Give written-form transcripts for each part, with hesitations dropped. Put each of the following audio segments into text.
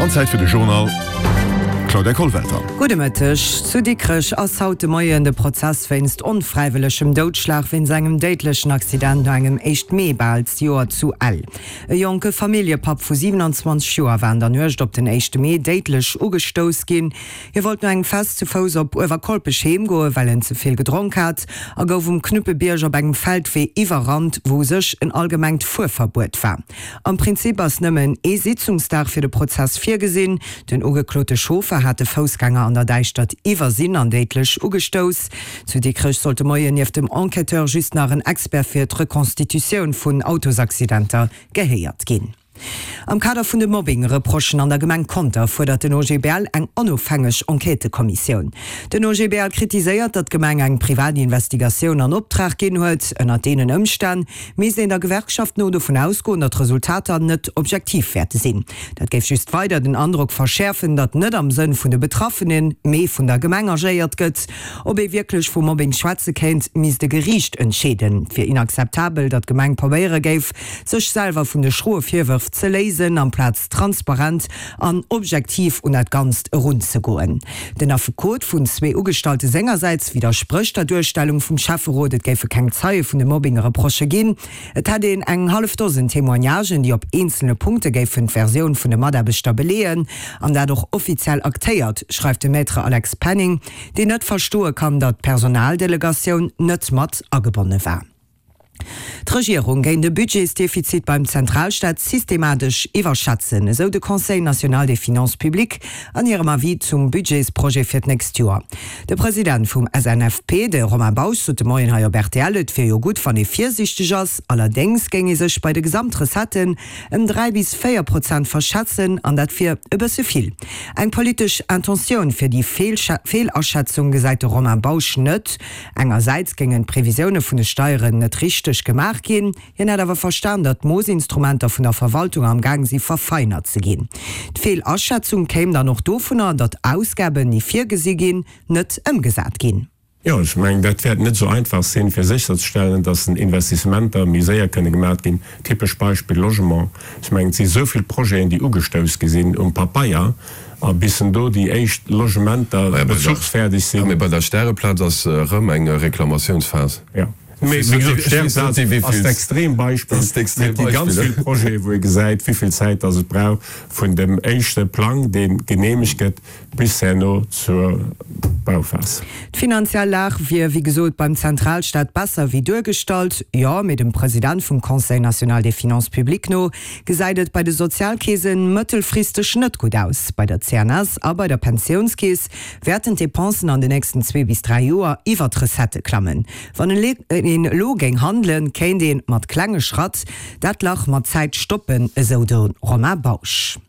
An Zäit fir de Journal. Claudia Kollwelter. Gudde Mëtteg. Zu Dikrech ass haut de Moien de Prozess wéinst onfräiwëllegem Doudschlag wéinst engem déidlechen Accident no engem éischt Mee bal d'Joer zu Ell. E jonke Familljepapp vu 27 Joer war an der Nuecht op den éischte Mee déidlech ugestouss ginn. Hie wollt no engem Fest zu Fouss op Uewerkolpech heem goen, well en ze vill gedronk hat a gouf um Knuppebierg op engem Feldwee iwwerrannt, wou u sech en allgemengt Fuerverbuet war. Am Prinzip ass nëmmen ee Sitzungsdag fir de Prozess virgesinn. Den ugeklote Chauffer hat de Foussgänger an der Däischtert iwwersinn an déidlech ugestouss. Zu Dikrech sollt de Moien nieft dem Enquêteur just nach en Expert fir d'Reconstitutioun vun Autosaccidenter gehéiert ginn. Am Kader vun de Mobbing-Reprochen an der Gemeng Conter fuerdert den OGBL eng onofhängeg Enquêtëkommissioun. Den OGBL kritiséiert, datt d'Gemeng eng privat Investigatioun an Optrag ginn huet. Ënnert deenen Ëmstänn misst een der Gewerkschaft no dovun ausgoen, datt d'Resultater net objektiv wäerte sinn. Dat géif just weider den Androck verschäerfen, datt net am Sënn vun de Betraffenen, mee vun der Gemeng agéiert gëtt. Ob ee wierklech vu Mobbing schwätze kéint, misst e Geriicht entscheeden. Et wier inakzeptabel, datt d'Gemeng probéiere géif, sech selwer vun de schroe Virwërf ze léisen, amplaz transparent an objektiv un dat Ganzt erunzegoen. Den Affekot vun zwee Ugestallte sengersäits widdersprécht der Duerstellung vum Schäfferot, et géife keng Zeie vun de Mobbing-Reprochë ginn. Et hätt een eng hallef Dosen Témoignagen, déi op eenzele Punkte géifen d'Versioun vun de Mataarbechter beleeën, an dat och offiziell aktéiert, schreift de Maître Alex Penning, deen net verstoe kann, datt d'Personaldelegatioun net mat agebonne war. D'Regierung géing de Budgetsdefizit beim Zentralstaat systematesch iwwerschätzen, esou de Conseil national des finances publiques an hirem Avis zum Budgetsprojet fir d'nächst Joer. De President vum SNFP, de Romain Bausch, sot de Moien hei op rtl, et wier jo gutt, wann ee virsiichteg ass. Allerdéngs géing ee sech bei de Gesamtrecetten ëm 3 bis 4 Prozent verschätzen, an dat wier e bësse vill. Eng politesch Intentioun fir déi Feelaschätzung gesäit de Romain Bausch net. Engersäits géingen d'Previsioune vun de Steieren net richteg gemaach ginn. Hien hätt awer verstan, datt d'Moossinstrumenter vun der Verwaltung am Gaang si verfeinert ze ginn. D'Feelaschätzung kéim dann och dovunner, datt Ausgaben, déi virgesi ginn, net ëmgesat ginn. Jo, ech mengen, dat wäert net esou einfach sinn, fir sécherzestellen, datt den Investissementer méi séier kënne gemaach ginn. Typesch Beispill Logement. Ech mengen, et si esou vill Projeten, déi ugestouss gi sinn um Papeier, a bis en do déi éischt Logementer bezuchsfäerdeg sinn. Mee bei der Stäreplaz ass erëm eng Reklamatiounsphas. Jo, mee wéi gesot, d'Stäreplaz ass d'Extrembeispill. Mee et gi ganz vill Projete wou ee gesäit, wéi vill Zäit datt et brauch vun dem éischte Plang, dee geneemegt gëtt, bis herno zur Bauphas. D'finanziell Lag wier wéi gesot beim Zentralstaat besser wéi duergestallt. Jo, mee dem President vum Conseil national des finances publiques no gesäit et bei de Sozialkeesen mëttelfristeg net gutt aus. Bei der CNS a bei der Pensiounskeess wäerten d'Depensen an de nächsten zwee bis 3 Joer iwwer d'Recettë klammen. Wann een elo géing handelen, kéint ee mat klenge Schratt dat Lach mat Zäit stoppen, esou de Romain Bausch.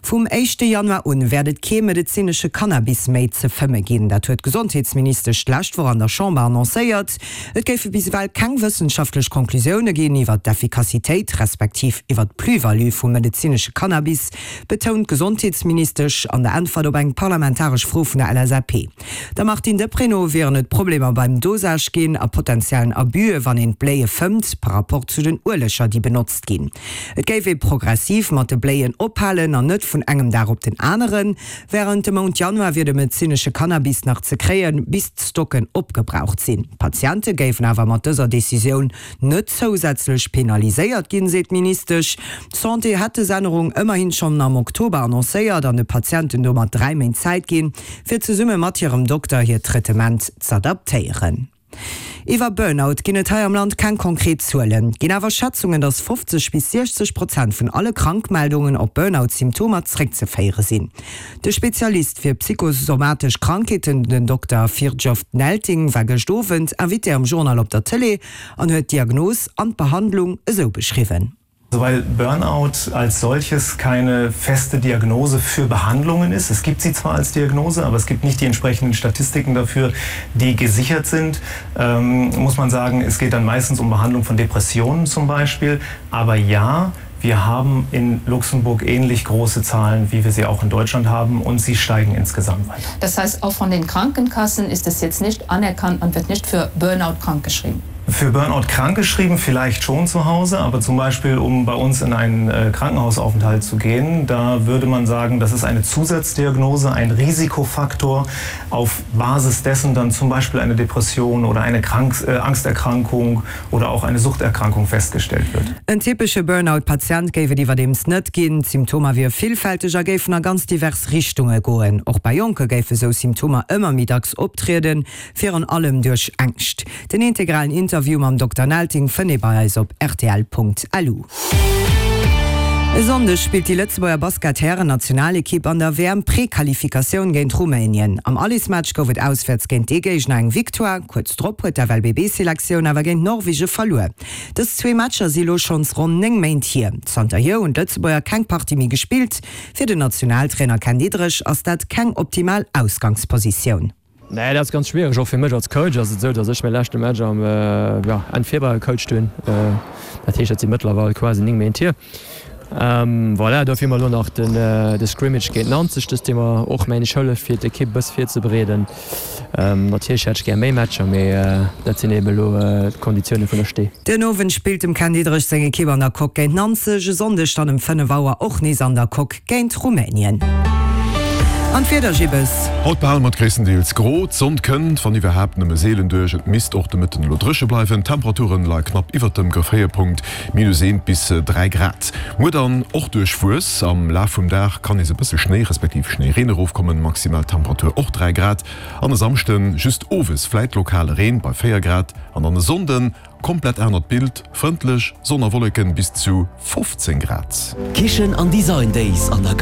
Vum éischte Januar un wäert et kee medezinesche Cannabis méi ze fëmme ginn. Dat huet d'Gesondheetsministesch d'lescht Woch an der Chamber annoncéiert. Et géife bis ewell keng wëssenschaftlech Conclusioune ginn iwwer d'Effikassitéit respektiv iwwer d'Plus-value vum medezinesche Cannabis, betount d'Gesondheetsministesch an der Äntwert op eng parlamentaresch Fro vun der LSAP. Der Martine Deprez no wieren et Problemer beim Dosage ginn a potentiellen Abüe wann een d'Bléie fëmmt par rapport zu den Ueleger déi benotzt ginn. Et géif ee progressiv mat de Bléien ophalen an net vun engem Dag op den aneren. Wärend dem Mount Januar wier de medezinesche Cannabis nach ze kréien, bis d'Stocken opgebraucht sinn. D'Patiente géifen awer mat dëser Decisioun net zousätzlech penaliséiert ginn, seet d'Ministesch. D'Santé hätt dës Ännerung ëmmerhin schonn am Oktober annoncéiert an de Patienten domat 3 Méint Zäit ginn, fir zesumme mat hirem Dokter hiert Traitement z'adaptéieren. Iwwer Burnout ginn et hei am Land keng konkret Zuelen, ginn awer Schätzungen, datt 50 bis 60 Prozent vun alle Krankmeldungen op Burnout-Symptomer zréckzeféiere sinn. De Spezialist fir psychosomatesch Krankheeten, den Dokter Firjof Nelting, war gëscht Owend Invité am Journal op der Tëlee an huet d'Diagnos an d'Behandlung esou beschriwwen. Weil Burnout als solches keine feste Diagnose für Behandlungen ist. Es gibt sie zwar als Diagnose, aber es gibt nicht die entsprechenden Statistiken dafür, die gesichert sind, ähm, muss man sagen, es geht dann meistens um Behandlung von Depressionen zum Beispiel. Aber ja, wir haben in Luxemburg ähnlich große Zahlen, wie wir sie auch in Deutschland haben und sie steigen insgesamt weiter. Das heißt, auch von den Krankenkassen ist es jetzt nicht anerkannt, man wird nicht für Burnout krankgeschrieben. Für Burnout krankgeschrieben vielleicht schon zu Hause, aber zum Beispiel um bei uns in einen äh, Krankenhausaufenthalt zu gehen, da würde man sagen, das ist eine Zusatzdiagnose, ein Risikofaktor auf Basis dessen dann zum Beispiel eine Depression oder eine Krank äh, Angsterkrankung oder auch eine Suchterkrankung festgestellt wird. En typesche Burnout-Patient géif et iwwerdeems net ginn. D'Symptomer wiere villfälteg a géifen a ganz divers Richtunge goen. Och bei Jonke géife sou Symptomer ëmmer méi dacks optrieden, virun allem duerch Ängscht. Den integralen Interview mam Dokter Nelting fënnt ee bei eis op rtl.lu. E Sonndeg spillt déi Lëtzebuerger Basket-Hären-Nationalekipp an der WM-Prequalifikatioun géint Rumänien. Am Allesmatch gouf et auswäerts géint dee Géigner eng Victoire. Kuerz drop huet d'FLBB-Selektioun awer géint Norwege verluer. Dës zwee Matcher si lo schonns ronn 9 Méint hier. Zanterhier hunn d'Lëtzebuerger keng Partie méi gespillt. Fir den Nationaltrainer Ken Diederich ass dat keng optimal Ausgangspositioun. Nee, dat ass ganz schwiereg. Och fir mech als Coach ass et esou, datt ech mäi leschte Match am Enn Februar gecoacht hunn. Dat heescht, dat si mëttlerweil quasi 9 Méint hier. Voilà, dofir hu mer elo nach de Scrimmage géint Nanzeg, dës dee mer och, mengen ech, hëlleft fir d'Ekipp e bësse virzebereeden. Natierlech hätt ech gär méi Matcher, mee dat sinn eben elo d'Konditioune vun der Stee. Den Owend spillt dem Ken Diederich seng Ekipp an der Coque géint Nanzeg, e Sonndeg dann ëm 5 Auer och nees an der Coque géint Rumänien. An d'Wieder, Gibbes? Haut behale mer et gréisstendeels gro, d'Sonn kënnt, wann iwwerhaapt, nëmme seelen duerch. Et misst och de Mëtten elo dréche bleiwen, d'Temperaturen leie knapp iwwert dem Gefréierpunkt, minus 1 bis 3 Grad. Muer dann och duerchwuess, am Laf vum Dag kann nees e bësse Schnéi respektiv Schnéireen erofkommen, maximal Temperatur och 3 Grad. An e Samschden just owes vläit lokale Reen bei 4 Grad an dann e Sonnden Komplett anert Bild, frëndlech, Sonn a Wolleken, bis zu 15 Grad. Kichen an Design Days an der.